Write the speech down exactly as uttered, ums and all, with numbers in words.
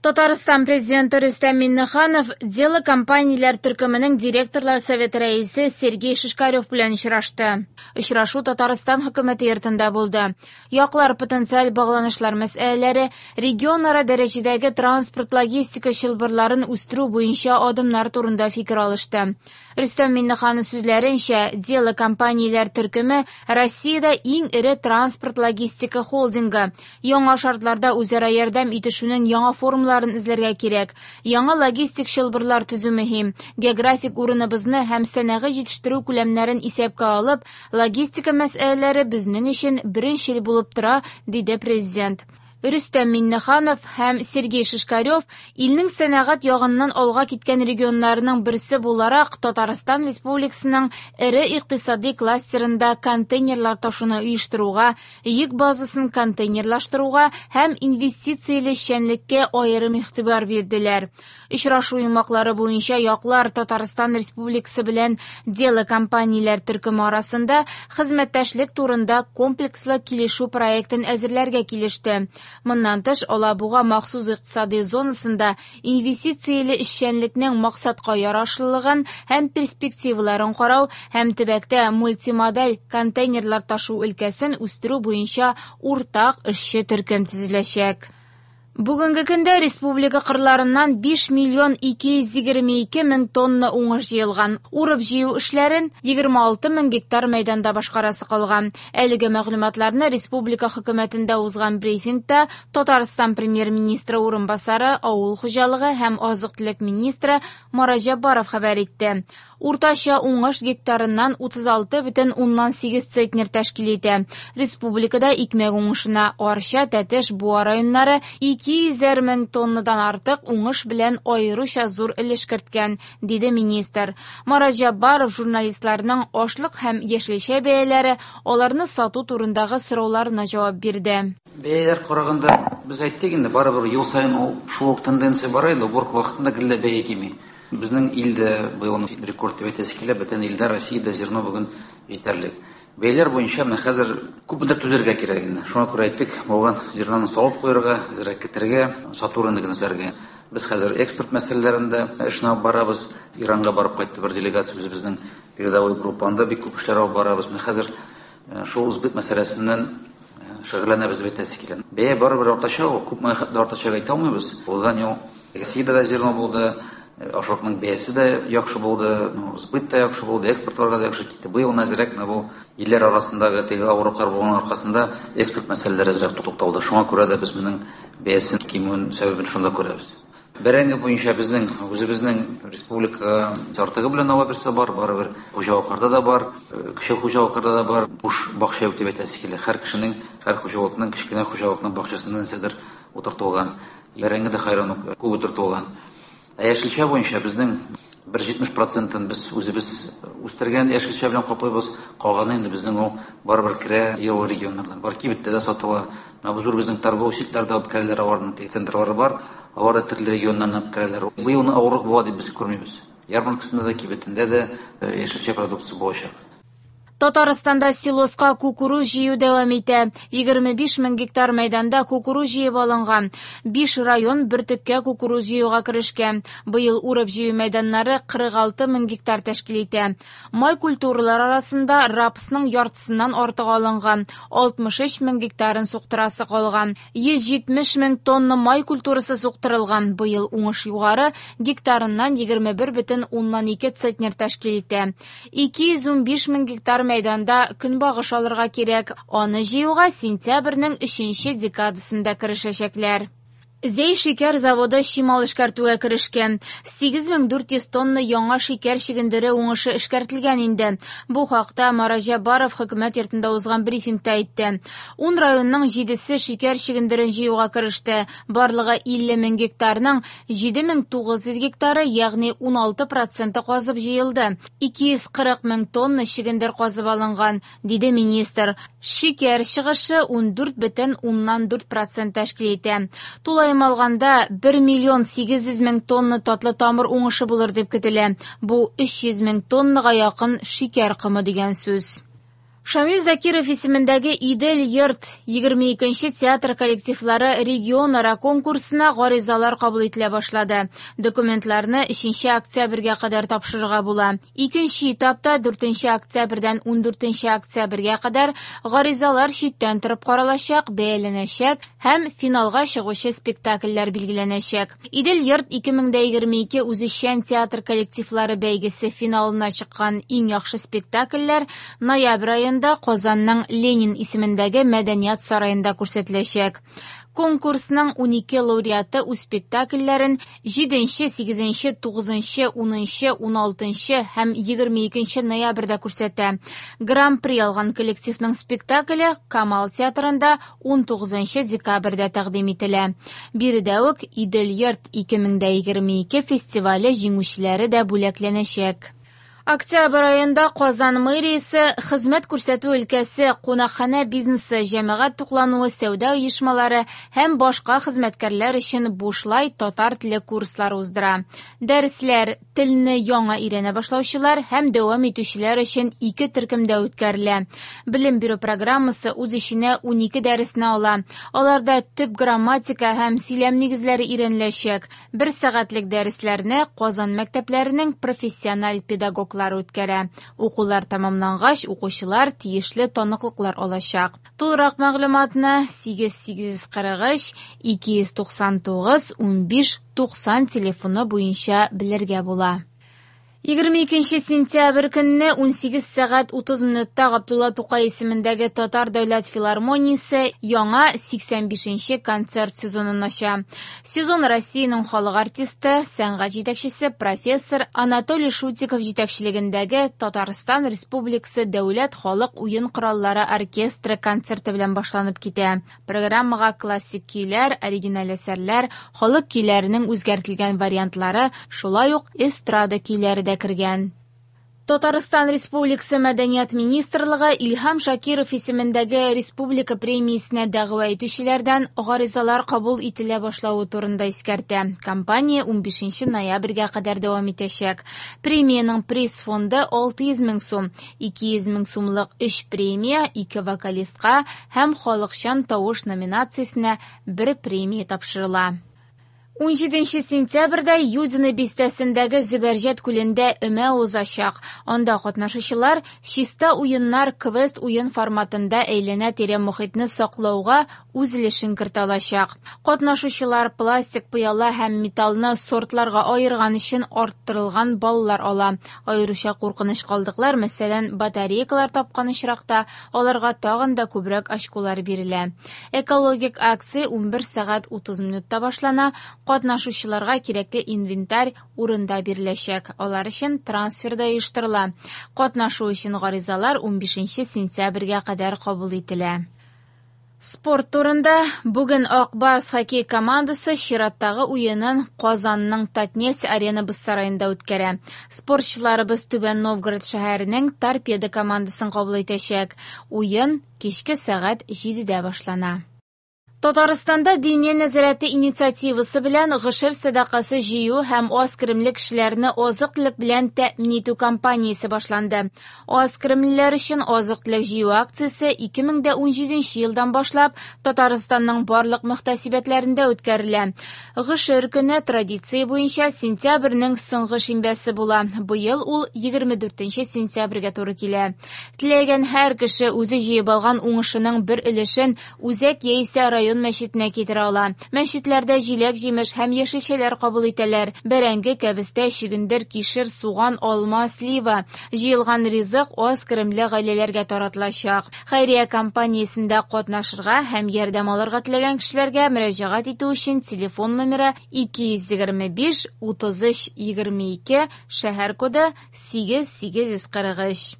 Татарстан президенты Рөстәм Миңнеханов Дело компанияләр төркеменең директорлар советы рәисе Сергей Шишкарев белән очрашты. Очрашу Татарстан хөкүмәте йортында булды. Яклар потенциаль багланышлар мәсьәләләре, регионара дәрәҗәдәге транспорт-логистика чылбырларын үстерү буенча адымнар турында фикер алышты. Рөстәм Миңнеханов сүзләренчә, Дело компанияләр төркеме Россиядә иң эре транспорт-логистика холдингы. Яңа шартларда үзара ярдәм итешүнең яңа формаларын эзләргә кирәк. Яңа логистик чылбырлар төзү мөһим. Географик урыныбызны һәм сәнәгый җитештерү күләмнәрен исәпкә алып, логистика мәсьәләләре безнең өчен беренчел булып тора, диде президент. Рөстәм Миңнеханов һәм Сергей Шишкарев илнең сәнәгать ягыннан алга киткән регионнарының берсе буларак Татарстан Республикасының эре икътисади кластерында контейнерлар ташуны оештыруга, йөк базасын контейнерлаштыруга һәм инвестицияле эшчәнлеккә аерым игътибар бирделәр. Очрашу йомгаклары буенча яклар Татарстан Республикасы белән Дело компанияләр төркеме арасында хезмәттәшлек турында комплекслы килешү проектын әзерләргә килеште. Моннан тыш, Алабуга махсус икътисади зонасында инвестицияле эшчәнлекнең максатка ярашлылыгын һәм перспективаларын карау һәм төбәктә мультимодаль контейнерлар ташу өлкәсен үстерү буенча уртак эшче төркем төзеләчәк. Бүгенге көндә республика кырларыннан биш миллион ике йөз егерме ике мең тонна уңыш җыелган. Урып җыю эшләрен егерме алты мең гектар мәйданда башкарасы калган. Әлеге мәгълүматларны республика хөкүмәтендә узган брифингта Татарстан премьер-министры урынбасары, авыл хуҗалыгы һәм азык-төлек министры Марат Җәббаров хәбәр итте. Уртача уңыш гектарыннан утыз алты бөтен уннан сигез центнер тәшкил итә. Республикада икмәк уңышына Арча, Тәтеш, Буа районнары ике йөзәр мең тоннадан артык уңыш белән аеруча зур өлеш керткән, диде министр. Марат Җәббаров журналистларның ашлык һәм яшелчә бәяләре, аларны сату турындагы сорауларына җавап бирде. Бәяләр караганда без әйттек инде, барыбер ел саен ул шул ук тенденция бара инде, уборка вакытында гел дә бәя кими. Безнең илдә быел рекорд дип әйтәсе килә, бөтен илдә Россиядә зерно бүген җитәрлек. Бәяләр буенча менә хәзер күпмедер түзәргә кирәк инде. Шуңа күрә әйттек, булган зерноны салып куярга, әзрәк китергә, сату рыногын эзләргә. Без хәзер экспорт мәсьәләләрендә эшне алып барабыз. Иранга барып кайтты бер делегация үзебезнең передовой группа, анда бик күп эшләр алып барабыз. Менә хәзер шул сбыт мәсьәләсеннән шөгыльләнәбез дип әйтәсе килә. Бәя барыбер артачак, ул күпме хәтле артачак әйтә алмыйбыз. Узган ел Россиядә дә зерно булды, ашлыкның бәясе дә яхшы булды, сбыт та яхшы булды, экспортларга да яхшы китте. Быел әзрәк менә бу илләр арасындагы теге авырлыклар булган аркасында экспорт мәсьәләләре әзрәк тукталды. Шуңа күрә дә без моның бәясен кимүен сәбәбен шунда күрәбез. Бәрәңге буенча безнең үзебезнең республика артыгы белән ала берсе бар, барыбер хуҗалыкларда да бар, кече хуҗалыкларда да бар. Буш бакча юк дип әйтәсе килә. Һәр кешенең, һәр хуҗалыкның, кечкенә хуҗалыкның бакчасында нәрсәдер утыртылган. Бәрәңге дә хайран ук күп утыртылган. Ә яшелчә буенча безнең бер җитмеш процентын без үзебез үстергән яшелчә белән каплыйбыз. Калганы инде безнең ул барыбер керә ел регионнардан. Бар кибеттә дә сатыла. Менә бу зур безнең торговый сетьләрдә алып керәләр, аларның теге центрлары бар. Алар да төрле регионнан алып керәләр. Быел авырлык була дип без күрмибез. Ярмаркасында да, кибетендә дә яшелчә продукция булачак. Татарстанда силоска кукуруз җыю дәвам итә. Егерме биш мең гектар мәйданда кукуруз җыеп алынган. Биш район бөртеккә кукуруз җыюга керешкән. Быел урып җыю мәйданнары кырык алты мең гектар тәшкил итә. Май культуралар арасында рапсның яртысыннан артык алынган. Алтмыш өч мең гектарын суктырасы калган. Йөз җитмеш мең тонна май культурасы суктырылган. Быел уңыш югары, гектарыннан егерме бер бөтен уннан ике центнер тәшкил итә. Ике йөз унбиш мең гектар мәйданда көнбагыш алырга кирәк. Аны җыюга сентябрьнең өченче декадасында керешәчәкләр. Зәй шикәр заводы чимал эшкәртүгә керешкән. Сигез мең дүрт йөз тонна яңа шикәр чөгендере уңышы эшкәртелгән инде. Бу хакта Марат Җәббаров хөкүмәт йортында узган брифингта әйтте. Ун районның җидесе шикәр чөгендерен җыюга кереште. Барлыгы илле мең гектарның җиде мең тугыз йөз гектары, ягъни ун алты проценты казып җыелды. Ике йөз кырык мең тонна чөгендер казып алынган, диде министр. Шикәр чыгышы ун дүрт бөтен уннан дүрт процент тәшкил итә. Тулаем алганда бер миллион сигез йөз мең тонна татлы тамыр уңышы булыр дип көтелә. Бу өч йөз мең тоннага якын шикәр комы дигән сүз. Шамил Закиров исемендәге Идел-йорт егерме икенче театр коллективлары регионара конкурсына гаризалар кабул ителә башлады. Документларны өченче октябрьгә кадәр тапшырырга була. Икенче этапта дүртенче октябрьдән ундүртенче октябрьгә кадәр гаризалар читтән торып каралачак, бәяләнәчәк һәм финалга чыгучы спектакльләр билгеләнәчәк. Идел-йорт ике мең дә егерме ике үзешчән театр коллективлары бәйгесе финалына чыккан иң яхшы спектакльләр ноябрь аенда Казанның Ленин исемендәге мәдәният сараенда күрсәтеләчәк. Конкурсның унике лауреаты үз спектакльләрен җиденче, сигезенче, тугызынчы, унынчы, уналтынчы һәм егерме икенче ноябрьдә күрсәтә. Гран-при алган коллективның спектакле Камал театрында унтугызынчы декабрьдә тәкъдим ителә. Биредә үк Идел-йорт ике мең дә егерме ике фестивале җиңүчеләре дә бүләкләнәчәк. Октябрь аенда Казан мэриясе хезмәт күрсәтү өлкәсе, кунакханә бизнесы, җәмәгать туклануы, сәүдә оешмалары һәм башка хезмәткәрләр өчен бушлай татар теле курслары уздыра. Дәресләр телне яңа өйрәнә башлаучылар һәм дәвам итүчеләр өчен ике төркемдә үткәрелә. Белем бирү программасы үз эченә унике дәресне ала. Аларда төп грамматика һәм сөйләм нигезләре өйрәнеләчәк. Бер сәгатьлек дәресләрне Казан мәктәпләренең профессиональ педагоглары үткәрә. Укулар тәмамлангач, укучылар тиешле таныклыклар алачак. Тулырак мәгълүматны сигез сигез кырык өч ике йөз туксан тугыз унбиш туксан телефоны буенча белергә була. Егерме икенче сентябрь көнне унсигез сәгать утыз минутта Габдулла Тукай исемендәге Татар дәүләт филармониясе яңа сиксән бишенче концерт сезонын ача. Сезон Россиянең халык артисты, сәнгать җитәкчесе профессор Анатолий Шутиков җитәкчелегендәге Татарстан Республикасы дәүләт халык уен кораллары оркестры концерты белән башланып китә. Программага классик көйләр, оригиналь әсәрләр, халык көйләренең үзгәртелгән вариантлары, шулай ук эстрада көйләре дә кергән. Татарстан Республикасы Мәдәният министрлыгы Илһам Шакиров исемендәге республика премиясенә дәгъва итүчеләрдән гаризалар кабул ителә башлавы турында искәртә. Кампания унбишенче ноябрьгә кадәр дәвам итәчәк. Премиянең приз фонды алты йөз мең сум, ике йөз мең сумлык өч премия, ике вокалистка һәм халыкчан тавыш номинациясенә бер премия тапшырыла. Унҗиденче сентябрьдә Юдино бистәсендәге Зөбәрҗәт күлендә өмә узачак. Анда катнашучылар чиста уеннар квест уен форматында әйләнә-тирә мохитне саклауга үз өлешен кертә алачак. Катнашучылар пластик, пыяла һәм металлны сортларга аерган өчен арттырылган баллар ала. Аеруча куркыныч калдыклар, мәсәлән, батарейкалар тапкан очракта, аларга тагын да күбрәк очколар бирелә. Экологик акция унбер сәгать утыз минутта башлана. Катнашучыларга кирәкле инвентарь урында биреләчәк. Алар өчен трансфер да оештырыла. Катнашу өчен гаризалар унбишенче сентябрьгә кадәр кабул ителә. Спорт турында. Бүген Ак Барс хоккей командасы чираттагы уенын Казанның Татнефть арена боз сараенда үткәрә. Спортчыларыбыз Түбән Новгород шәһәренең Торпедо командасын кабул итәчәк. Уен кичке сәгать җидедә башлана. Татарстанда Диния нәзарәте инициативасы белән гошер сәдакасы җыю һәм аз керемле кешеләрне азык-төлек белән тәэмин итү кампаниясе башланды. Аз керемлеләр өчен азык-төлек җыю акциясе ике мең дә унҗиденче елдан башлап Татарстанның барлык мөхтәсибәтләрендә үткәрелә. Гошер көне традиция буенча сентябрьнең соңгы шимбәсе була. Быел ул егерме дүртенче сентябрьгә туры килә. Теләгән һәр кеше үзе җыеп алган уңышының бер өлешен үзәк яисә район мәчетенә китерә ала. Мәчетләрдә җиләк-җимеш һәм яшелчәләр кабул итәләр. Бәрәңге, кәбестә, чөгендер, кишер, суган, алма, слива. Җыелган ризык аз керемле гаиләләргә таратылачак. Хәйрия кампаниясендә катнашырга һәм ярдәм алырга теләгән кешеләргә мөрәҗәгать итү өчен телефон номеры ике йөз егерме биш, утыз өч, егерме ике, шәһәр коды сигез сигез йөз кырык өч.